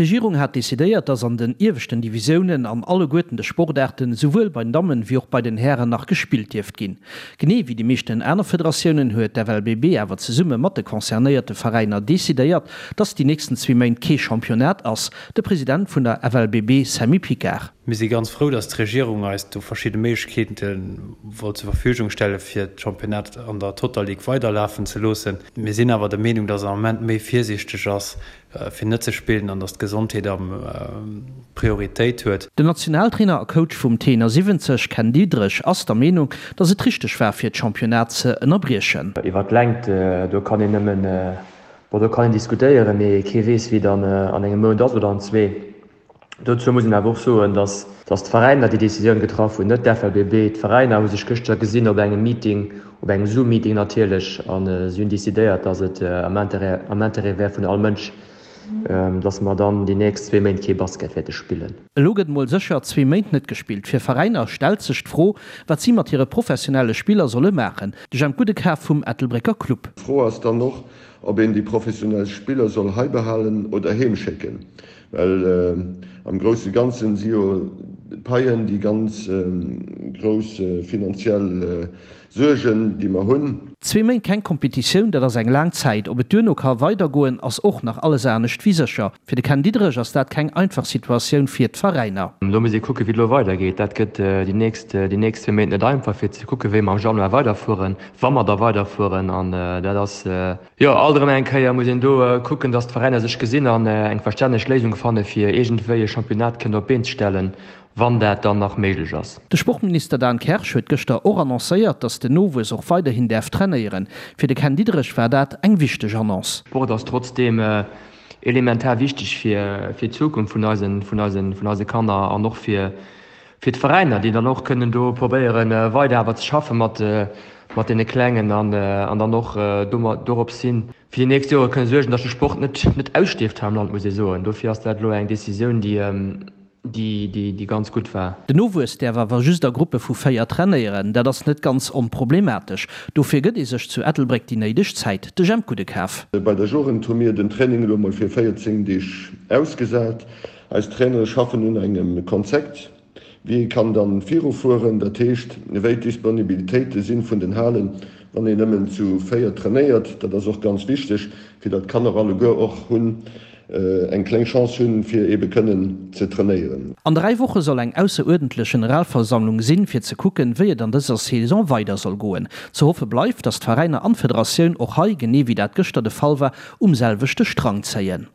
D'Regierung hat decidéiert, dass an den ieweschten Divisiounen an alleguerten de Sportaarten, souwuel bei den Dammen wéi och bei den Hären nach gespillt dierft ginn. Genee wéi déi meeschten aner Federatiounen huet d'FLBB awer zesumme mat de concernéierte Veräiner decidéiert, dass déi nächsten zwee Méint kee Championnat ass. De President vun der FLBB Sammy Picard. Mir si ganz frou, dass d'Regierung eis do verschidde Méiglechkeete wollt zur Verfügung stelle fir d'Championnat an der Total League weiderlafen ze loossen. Mir sinn awer der Meenung, dass am Ament méi virsiichteg ass, fir net ze spillen an dass d'Gesondheet am Prioritéit huet. Den Nationaltrainer a Coach vum T71, Ken Diederich, ass der Meenung, dass et richteg war fir d'Championnat ze ënnerbriechen. Iwwer d'Längt, do kann een nëmmen, bon, do kann een diskutéieren, mee kee weess, wéi et an engem Mount ass oder an zwee. Dozou muss een awer och soen, datt d'Veräiner déi Decisioun getraff hunn, net d'FLBB. D'Veräiner hu sech gëschter gesinn op engem Meeting, op engem Zoom-Meeting natierlech, a si hunn decidéiert, datt et am Interêt, am Interêt wär vun all Mënsch, datt mer dann déi nächst zwee Méint kee Basket wäerte spillen. Elo gëtt mol sécher zwee Méint net gespillt. Fir Veräiner stellt sech d'Fro, wat si mat hire professionelle Spiller solle maachen. De Jemp Gudekaf vum Ettelbrécker Club. D'Fro ass dann och, ob een déi professionell Spiller soll hei behalen oder heem schécken. Well am grousse Ganzen si jo d'Paien déi ganz grouss finanziell Suergen, déi mer hunn. Zwee Méint keng Kompetitioun, dat ass eng laang Zäit. Ob et duerno ka weidergoen, ass och nach alles anescht wéi sécher. Fir de Ken Diederich ass dat keng einfach Situatioun fir d'Veräiner. Do muss ee kucken, wéi et elo weidergeet. Dat gëtt déi nächst, déi nächst zwee Méint net einfach, fir ze kucken, wéi mer am Januar weiderfueren, wa mer da weiderfueren. An dat ass. Jo, alt erëm eng Kéier muss een do kucken, dass d'Veräiner sech gesinn an eng verstänneg Léisung fanne fir iergendwéi e Championnat kënnen op d'Been ze stellen, wann dat dann nach méiglech ass. De Sportminister Dan Kersch huet gëschter och annoncéiert, dass den Nowuess och weiderhin däerf trainéieren. Fir de Ken Diederich war dat eng wichteg Annonce. Sport ass trotzdeem elementar wichteg fir d'Zukunft vun eise Kanner an och fir Fir d'Veräiner, déi dann och kënnen do probéieren, weider awer ze schaffe mat deene Klengen an dann och dorops hin fir déi nächst Jore kënne suergen, datt de Sport net ausstierft hei am Land, muss ee soen. Dofir ass dat elo eng Decisioun, déi ganz gutt war. Den Nowuess däerf awer just a Gruppe vu 4 trainéieren. Dat ass net ganz onproblematesch. Dofir gëtt ee sech zu Ettelbréck déi néideg Zäit. De Jemp Gudekaf. Bei der Jugend hu mir den Training elo mol fir 14 Deeg ausgesat. Eis Trainere schaffen un engem Konzept, wéi ee kann dann virufueren, dat heescht wéi d'Disponibilitéite sinn vun den Halen, wann een nëmmen zu 4 trainéiert. Dat ass och ganz wichteg, fir datt d'Kanner alleguer och hunn eng kleng Chance hunn, fir eebe kënnen ze trainéieren. An 3 Woche soll eng ausseruerdentlech Generalversammlung sinn, fir ze kucken, wéi et an dëser Saison weider soll goen. Ze hoffe bleift, datt d'Veräiner an d'Federatioun och hei, genee wéi dat gëschter de Fall war, um selwechte Strang zéien.